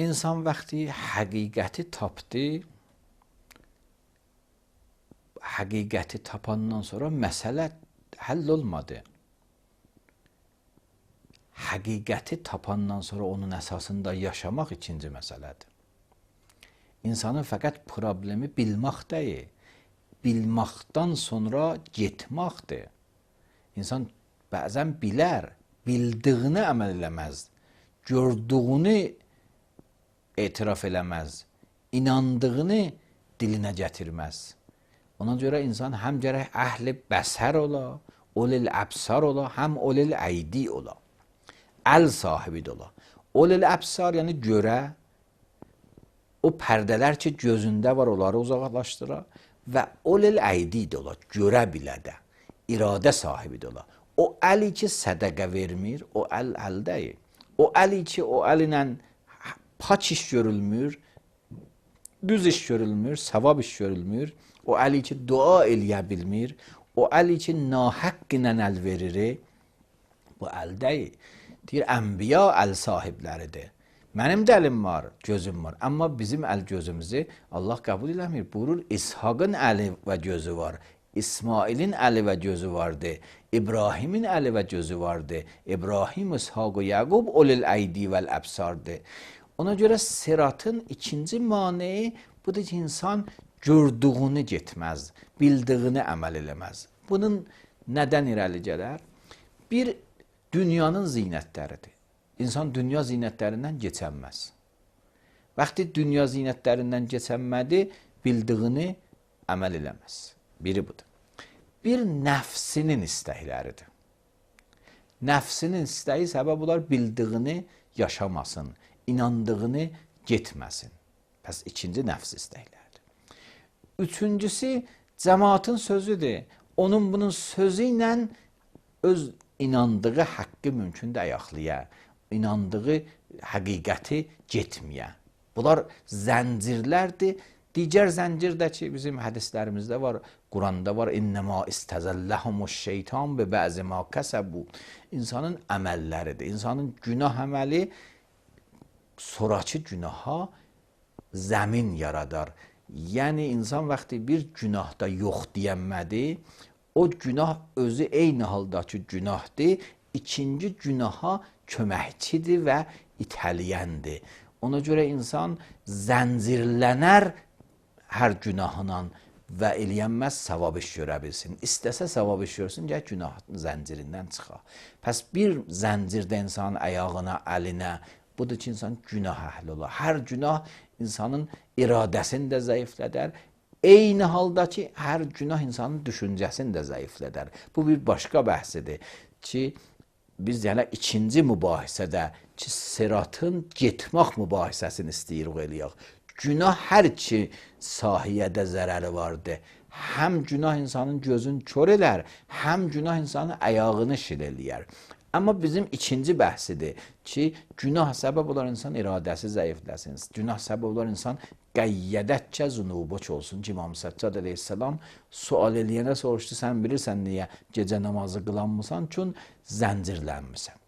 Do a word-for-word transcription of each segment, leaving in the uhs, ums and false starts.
İnsan vaqti həqiqəti tapdı, həqiqəti tapandan sonra məsələ həll olmadı. Həqiqəti tapandan sonra onun əsasında yaşamaq ikinci məsələdir. İnsanın fəqət problemi bilmək deyil, bilməkdən sonra getməkdir. İnsan bəzən bilər, bildiyini əməl eləməz, gördüyünü etiraf eləməz, inandığını dilinə gətirməz. Ona görə insan həm gərək əhli bəsər ola, ulil əbsar ola, həm ulil əydi ola. Əl sahibi də ola. Ulil əbsar yəni görə, o pərdələr ki gözündə var onları uzaqlaşdıra və ulil əydi də ola, görə bilə də, iradə sahibi də ola. O əli ki sədəqə vermir, o əl əl deyil. O əli ki o əlinə pak iş görülmür, düz iş görülmür, savab iş görülmür, o əli ki dua eləyə bilmir, o əli ki nahəq ilə əl verir, bu əl deyil. Deyir, ənbiya əl sahibləridir. Mənim də əlim var, gözüm var. Amma bizim əl gözümüzü Allah qəbul eləmir. Buyurur, İshaqın əli və gözü var. İsmailin əli və gözü vardı. İbrahimin əli və gözü vardı. İbrahim, İshaq və Yaqub ulil əydi vəl əbsardı. Ona görə siratın ikinci maneyi budur ki, insan gördüyünü getməz, bildiyini əməl eləməz. Bunun nədən irəli gələr? Bir, dünyanın zinətləridir. İnsan dünya zinətlərindən keçənməz. Vaxtı dünya zinətlərindən keçənmədi, bildiyini əməl eləməz. Biri budur. Bir, nəfsinin istəkləridir. Nəfsinin istəyi səbəb olar bildiyini yaşamasın, inandığını getməsin. Pəs ikinci nəfs istəkləridir. Üçüncüsü, cəmaatın sözüdür. Onun bunun sözü ilə öz inandığı haqqı mümkün də ayaqlıya, inandığı həqiqəti getməyə. Bunlar zəncirlərdir. Digər zəncir də ki, bizim hədislərimizdə var, Quranda var, İnnəmə istəzəlləhumuş şeytan və bəzi ma kəsəbu. İnsanın əməlləridir. İnsanın günah əməli sonrakı günaha zəmin yaradar. Yəni, insan vaxtı bir günahda yox deyənmədi, o günah özü eyni haldakı günahdır, ikinci günaha köməkçidir və itəliyəndir. Ona görə insan zəncirlənər hər günahla və eləyənməz savab iş görə bilsin. İstəsə savab iş görsün, gəl günah zəncirindən çıxa. Pəs bir zəncirdə insanın ayağına, əlinə, budur ki, insan günah əhli olar. Hər günah insanın iradəsini də zəiflədər. Eyni halda ki, hər günah insanın düşüncəsini də zəiflədər. Bu bir başqa bəhsidir ki, biz yəni ikinci mübahisədə ki, siratın getmək mübahisəsini istəyirik eləyək. Günah hər ki, sahiyyədə zərəri vardır. Həm günah insanın gözünü kör elər, həm günah insanın ayağını şil eləyər. Amma bizim ikinci bəhsidir ki, günah səbəb olar insan iradəsi zəifləsin. Günah səbəb olar insan qəyyədətcə zunubuç olsun ki, İmam Səccad əleyhissalam sual eləyənə soruşdu, sən bilirsən niyə gecə namazı qılanmısan? Çün zəncirlənmirsən.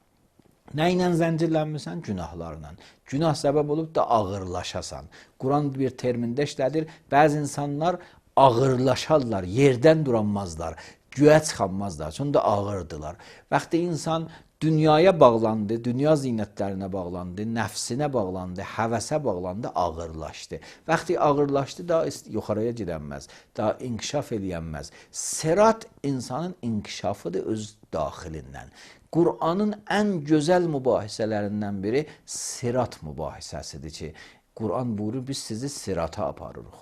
Nə ilə zəncirlənmirsən? Günahlarla. Günah səbəb olub da ağırlaşasan. Quran bir termində işlədir. Bəzi insanlar ağırlaşarlar, yerdən duranmazlar, güyə çıxanmazlar. Çünki ağırdılar. Vaxtı insan dünyaya bağlandı, dünya zinətlərinə bağlandı, nəfsinə bağlandı, həvəsə bağlandı, ağırlaşdı. Vaxtı ağırlaşdı, daha yuxarıya gedənməz, daha inkişaf eləyənməz. Sirat insanın inkişafıdır öz daxilindən. Qur'anın ən gözəl mübahisələrindən biri sirat mübahisəsidir ki, Qur'an buyurur, biz sizi sirata aparırıq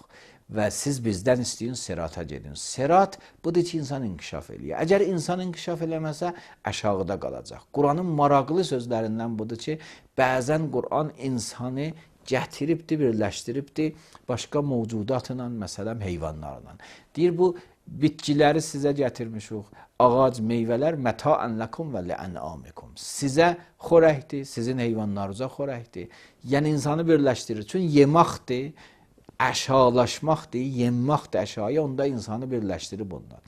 və siz bizdən istəyin sirata gedin. Sirat budur ki, insan inkişaf eləyir. Əgər insan inkişaf eləməsə, aşağıda qalacaq. Qur'anın maraqlı sözlərindən budur ki, bəzən Qur'an insanı gətiribdir, birləşdiribdir başqa mövcudatla, məsələn, heyvanlarla. Deyir, bu bitkiləri sizə gətirmişik, ağac, meyvələr məta'ən ləkum və lə'ənamikum. Sizə xorəkdir, sizin heyvanlarınıza xorəkdir. Yəni, insanı birləşdirir. Çünki yeməkdir, əşalaşmaqdır, yeməkdir əşaya, onda insanı birləşdirib onlar.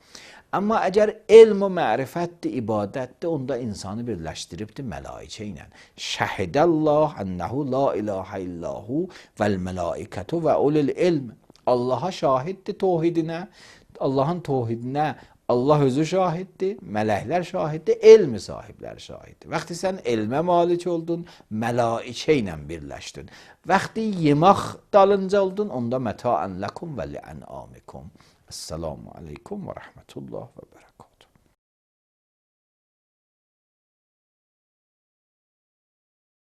Amma əgər elm və mərifətdir, ibadətdir, onda insanı birləşdiribdir mələikə ilə. Şəhidəllah ənəhu la ilahə illahu vəl mələikətu və ulul ilm. Allaha şahiddir tohidinə, Allahın tohidinə Allah özü şahiddir, mələklər şahiddir, elmi sahibləri şahiddir. Vaxtı sən elmə malik oldun, mələikə ilə birləşdin. Vaxtı yemək dalınca oldun, onda məta'ən ləkum və li'ənamikum. Esselamu aleykum və rəhmətullah və bərəkatuhu.